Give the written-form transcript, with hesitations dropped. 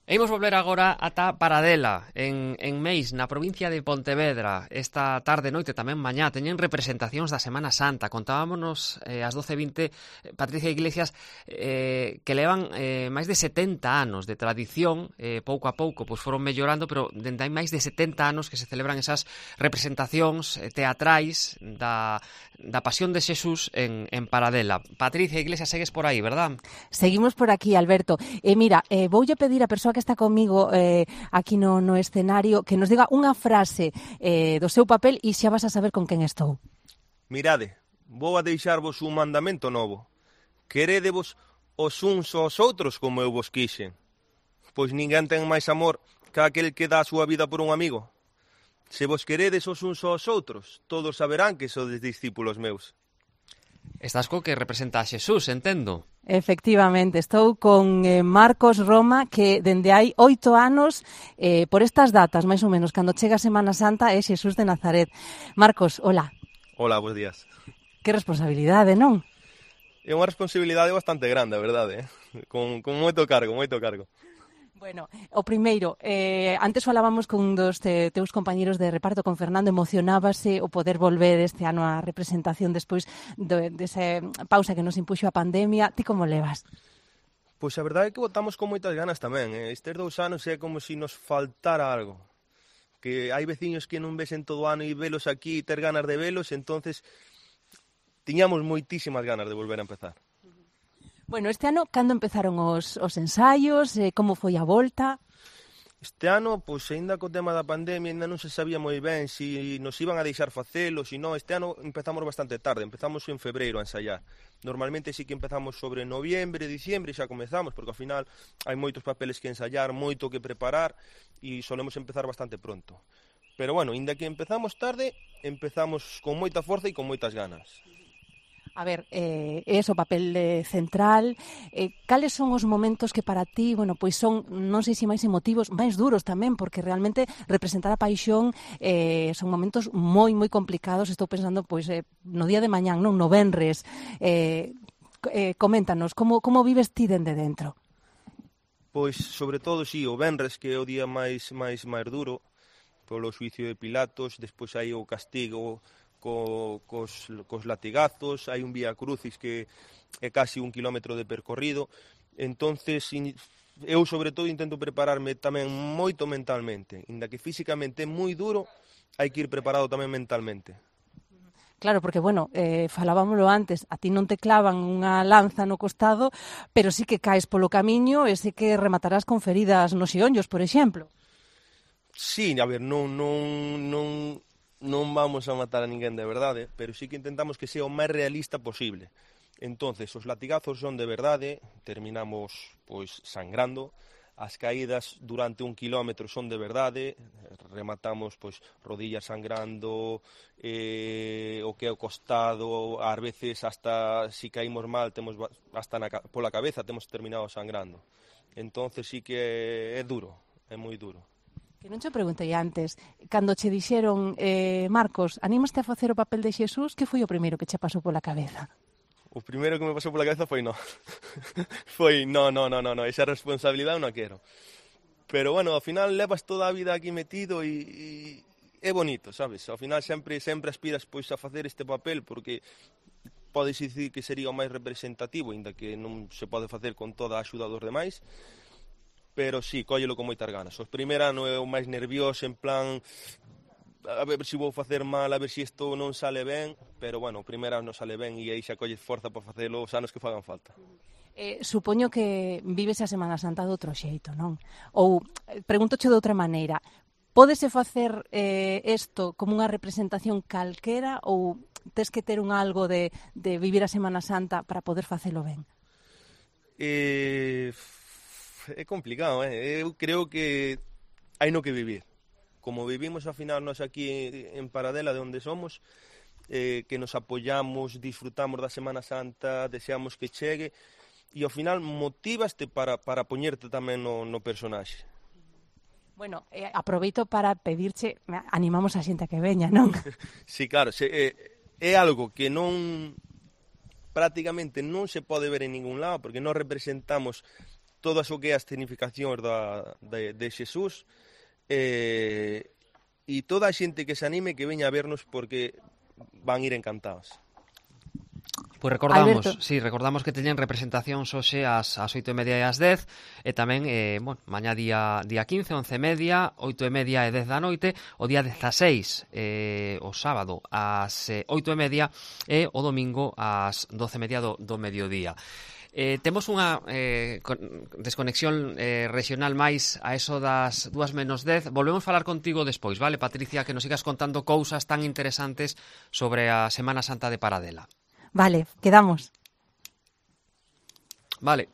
E imos volver agora ata Paradela, en Meis, na provincia de Pontevedra. Esta tarde, noite, tamén mañá, teñen representacións da Semana Santa. Contábamos ás 12:20, Patricia Iglesias, que levan máis de 70 anos de tradición, pouco a pouco pois foron mellorando, pero dende hai máis de 70 anos que se celebran esas representacións teatrais da Pasión de Xesús en Paradela. Patricia Iglesias, segues por aí, verdad? Seguimos por aquí, Alberto. Mira, voulle pedir a persoa que está comigo aquí no escenario que nos diga unha frase do seu papel e xa vas a saber con quen estou. Mirade, vou a deixarvos un mandamento novo. Querédevos os uns aos outros como eu vos quixen. Pois ninguén ten máis amor que aquel que dá a súa vida por un amigo. Se vos queredes os uns aos outros, todos saberán que sodes discípulos meus. Estás co que representa a Xesús, entendo. Efectivamente, estou con Marcos Roma, que dende hai 8 anos, por estas datas, máis ou menos, cando chega a Semana Santa, é Xesús de Nazaret. Marcos, hola. Hola, bons días. Que responsabilidade, non? É unha responsabilidade bastante grande, a verdade, con moito cargo. Bueno, o primeiro, antes falábamos con dos teus compañeros de reparto, con Fernando, emocionábase o poder volver este ano á representación despois desa pausa que nos impuxo a pandemia. Ti como levas? Pois a verdade é que votamos con moitas ganas tamén. Estes 2 anos é como se nos faltara algo. Que hai veciños que non vesen todo o ano e velos aquí e ter ganas de velos, entonces tiñamos moitísimas ganas de volver a empezar. Bueno, este ano, cando empezaron os ensaios? Como foi a volta? Este ano, pois, aínda co tema da pandemia, aínda non se sabía moi ben se nos iban a deixar facelo, se non. Este ano empezamos bastante tarde, empezamos en febreiro a ensaiar. Normalmente sí que empezamos sobre noviembre, diciembre, xa comezamos, porque ao final hai moitos papeles que ensaiar, moito que preparar, e solemos empezar bastante pronto. Pero, bueno, aínda que empezamos tarde, empezamos con moita forza e con moitas ganas. A ver, ese o papel central. Cales son os momentos que para ti, bueno, pois son, non sei se máis emotivos, máis duros tamén, porque realmente representar a paixón son momentos moi complicados. Estou pensando, pois, no día de mañán, non, no venres. Coméntanos, como vives ti dende dentro? Pois, sobre todo, sí, o venres, que é o día máis duro, polo xuicio de Pilatos, despois hai o castigo cos latigazos, hai un vía crucis que é casi 1 kilómetro de percorrido. Entonces eu sobre todo intento prepararme tamén moito mentalmente, inda que físicamente é moi duro, hai que ir preparado tamén mentalmente. Claro, porque, bueno, falábamolo antes, a ti non te clavan unha lanza no costado, pero sí que caes polo camiño e sí que rematarás con feridas nos xeonllos, por exemplo. Sí, a ver, non vamos a matar a ninguén de verdade, pero sí que intentamos que sea o máis realista posible. Entonces, os latigazos son de verdade, terminamos pois sangrando, as caídas durante 1 kilómetro son de verdade, rematamos pois rodillas sangrando, o que é o costado, ás veces hasta si caímos mal, temos hasta pola cabeza temos terminado sangrando. Entonces sí que é duro, é moi duro. Que non che preguntei antes, cando che dixeron, Marcos, anímaste a facer o papel de Xesús, que foi o primeiro que che pasou pola cabeza? O primeiro que me pasou pola cabeza foi no. Foi, no, esa responsabilidade non a quero. Pero, bueno, ao final levas toda a vida aquí metido e é bonito, sabes? Ao final sempre aspiras pois a facer este papel, porque podes dicir que sería o máis representativo, inda que non se pode facer con toda a axuda dos demais. Pero sí, cóllelo con moitas ganas. O primeiro ano é o máis nervioso, en plan, a ver se vou facer mal, a ver se isto non sale ben, pero, bueno, o primeiro ano sale ben e aí xa colles forza para facelo os anos que fagan falta. Supoño que vives a Semana Santa de outro xeito, non? Ou, pregúntoche de outra maneira, pódese facer isto como unha representación calquera ou tes que ter un algo de vivir a Semana Santa para poder facelo ben? É complicado, Eu creo que hai no que vivir. Como vivimos ao final nós aquí en Paradela, de onde somos, que nos apoyamos, disfrutamos da Semana Santa, deseamos que chegue, e ao final motivaste para poñerte tamén no personaxe. Bueno, aproveito para pedirche, animamos a xente a que veña, non? Sí, claro, é algo que prácticamente non se pode ver en ningún lado, porque non representamos todas o que é as significacións de Xesús, e toda a xente que se anime que veña a vernos porque van ir encantados. Pois recordamos, Alberto. sí, recordamos que teñen representacións hoxe ás 8:30 e ás 10 e tamén, mañá día 15, 11:30, 8:30 e 10 da noite, o día 16, o sábado ás 8:30 e o domingo ás 12:30 do mediodía. Temos unha desconexión regional máis a eso das 2:10. Volvemos falar contigo despois, vale, Patricia, que nos sigas contando cousas tan interesantes sobre a Semana Santa de Paradela. Vale, quedamos. Vale.